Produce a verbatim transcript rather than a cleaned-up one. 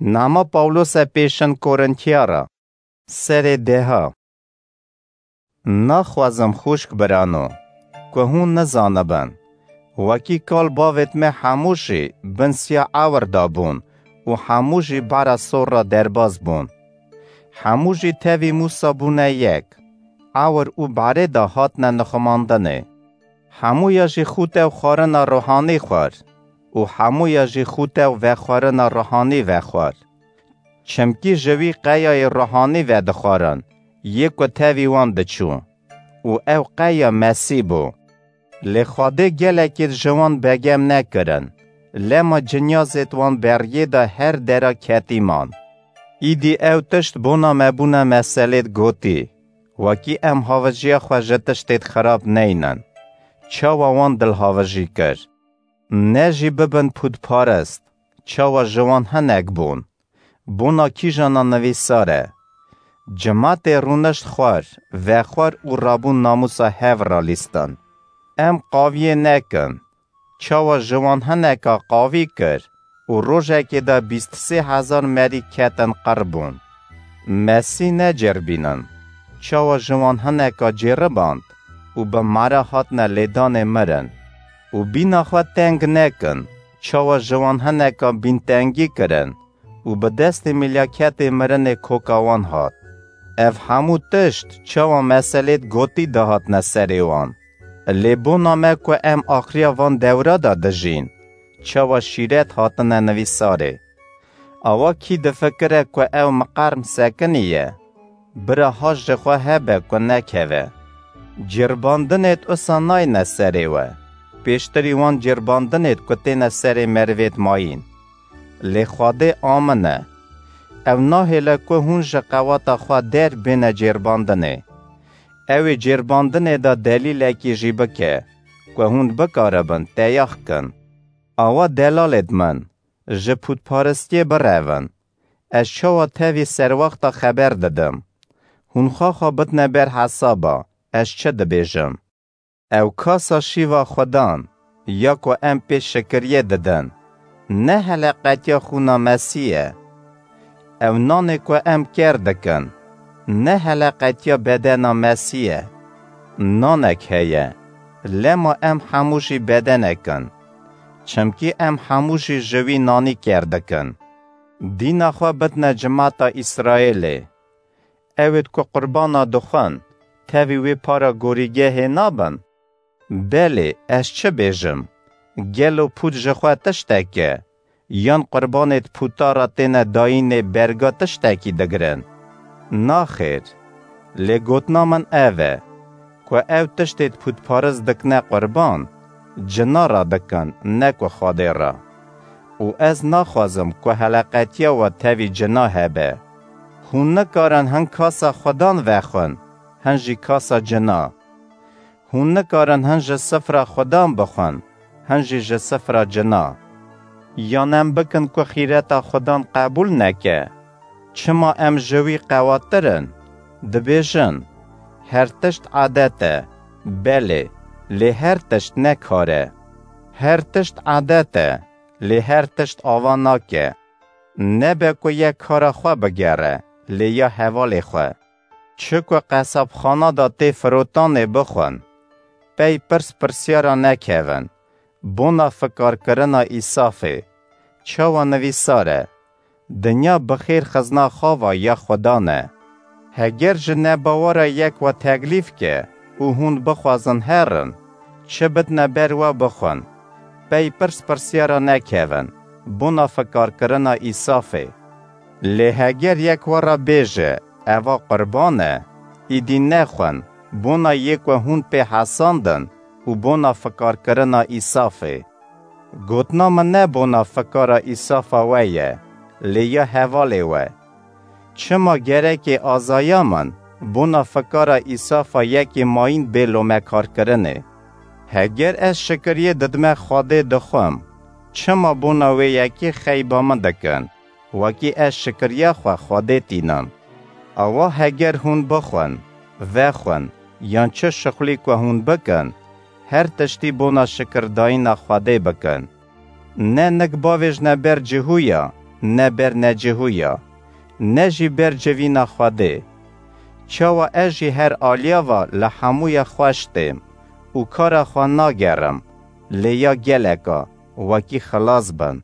Nama Pawlose pêşin Korintiyara, serê deha. Naxwazim xwişk birano, ku hûn nizanibin, wekî kal bavêt me hemû jî bin siya ewir de bûn û hemû jî bara sor re derbas bûn. Hemû jî tevî Mûsa bûne yek, ewir û barê de hatine nixumandinê. Hemûya jî xûte û xwarina ruhanî xwar û hemûya jî xûte û vexwarina ruhanî vexwar. Çimkî ji wî qeyayê ruhanî vedixwarin, yê ku tevî wan diçû û ew qeya Mesîh bû. Lê Xwedê gelekêt ji wan begem nekirin, lema cinyazêt wan beriyê de her dera ketî man. Îdî ew tişt bona me bûne meselêt gotî, wekî em havijiya xwe ji tiştêt xirab neynin. Çawa wan dilhavijî kir? Ne jî bibin pûtparist, çawa ji wan hinek bûn? Bona kîjana nivîsar e? Cimatê rûnişt xwar, vexwar û rabûn namûsa hev re lîstin. Em qaviyê nekin, çawa ji wan hineka qavî kir û rojekê de bîst sê hezar merî ketin qir bûn. Mesîh necêrbînin, çawa ji wan hineka cêriband û bi mara hatine lêdanê mirin. Û bîna xwe teng nekin, çawa ji wan hineka bîntengî kirin û bi destê milyaketê mirinê koka wan hat. Ev hemû tişt çawa meselêt gotî dihatine serê wan? Lê bona me ku em axiriya van dewra de dijîn, çawa şîret hatine nivîsarê? Awa kî difikire ku ew miqerm sekiniye, bira haş ji xwe hebe ku nekeve. Cêrbandinêt usa nayne serê we, pêştirî wan cêrbandinêt ku têne serê merivêt mayîn. Lê Xwedê amin e. Ew nahêle ku hûn ji qewata xwe der bêne cêrbandinê. Ew ê cêrbandinê de delîlekî jî bike, ku hûn bikaribin teyax kin. Awa delalêt min, ji pûtparistiyê birevin. Ez çawa tevî serwexta xeber didim? Hûn xwe xwe bidine ber hesaba, ez çi dibêjim? Ew kasa şîva Xudan, ya ku em pê şikiriyê didin, ne heleqetiya xûna Mesîh e? Ew nanê ku em ker dikin, ne heleqetiya bedena Mesîh e? Nanek heye, lema em hemû jî bedenek in, çimkî em hemû jî ji wî nanî ker dikin. Dîna xwe bidine cimata Îsraêlê. Ewêt ku qurbana dixwin, tevî wê para gorîgehê nabin? Belê, ez çi bêjim? Gelo pût ji xwe tiştek e? Yan qurbanêt pûta re têne dayînê berga tiştekî digirin? Naxêr. Lê gotina min ev e, ku ew tiştêt pûtparist dikine qurban, cina re dikin, ne ku Xwedê re. Û ez naxwazim ku heleqetiya we tevî cina hebe. Hûn nikarin hin kasa Xudan vexwin, hin jî kasa cina. Hûn nikarin hin ji sifra Xudan bixwin, hin jî ji sifra cina. Yan em bikin ku xîreta Xudan qebûl neke? Çima em ji wî qewatir in? Dibêjin, her tişt edet e. Belê, lê her tişt ne kar e. Her tişt edet e, lê her tişt ava nake. Nebe ku yek kara xwe bigere, lê ya hevalê xwe. Çi ku qesabxana de tê firotanê bixwin, pey pirs pirsiyara nekevin, bona fikarkirina Îsafê, çawa nivîsar e, dinya bi xêr xizna xava ya Xudan e. Heger ji nebawara yek we teklîf ke û hûn bixwazin herin, çi bidine ber we bixwin, pey pirs pirsiyara nekevin, bona fikarkirina Îsafê. Lê heger yek we re bêje, eva qurban e, îdî nexwin, bona yê ku hûn pê hesandin û bona fikarkirina Îsafê. Gotina min ne bona fikara Îsafa we ye, lê ya hevalê we. Çima gerekê azaya min bona fikara Îsafa yekê mayîn bê lomekarkirinê? Heger ez şikiriyê didime Xwedê dixwim, çima bona wê yekê xeyba min dikin, wekî ez şikiriya xwe Xwedê tînim? Awa heger hûn bixwin, vexwin, yan çi şixulî ku hûn bikin, her tiştî bona şikirdayîna Xwedê bikin. Ne nik bavêjne ber cihûya, ne ber necihûya, ne jî ber civîna Xwedê. Çawa ez jî her aliya ve li hemûya xweş têm û kara xwe nagerim, lê ya geleka wekî xilas bin.